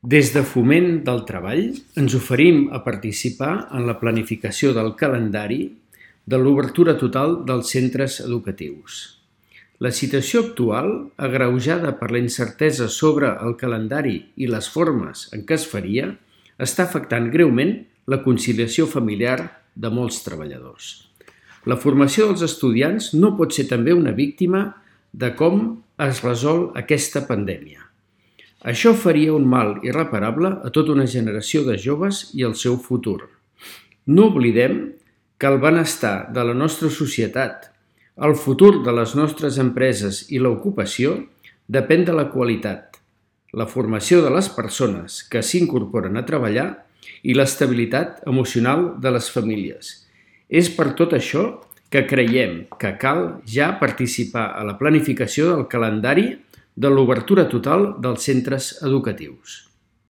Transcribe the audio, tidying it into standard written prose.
Des de Foment del Treball ens oferim a participar en la planificació del calendari de l'obertura total dels centres educatius. La situació actual, agreujada per la incertesa sobre el calendari i les formes en què es faria, està afectant greument la conciliació familiar de molts treballadors. La formació dels estudiants no pot ser també una víctima de com es resol aquesta pandèmia. Això faria un mal irreparable a tota una generació de joves i al seu futur. No oblidem que el benestar de la nostra societat, el futur de les nostres empreses i l'ocupació depèn de la qualitat, la formació de les persones que s'incorporen a treballar i l'estabilitat emocional de les famílies. És per tot això que creiem que cal ja participar a la planificació del calendari de l'obertura total dels centres educatius.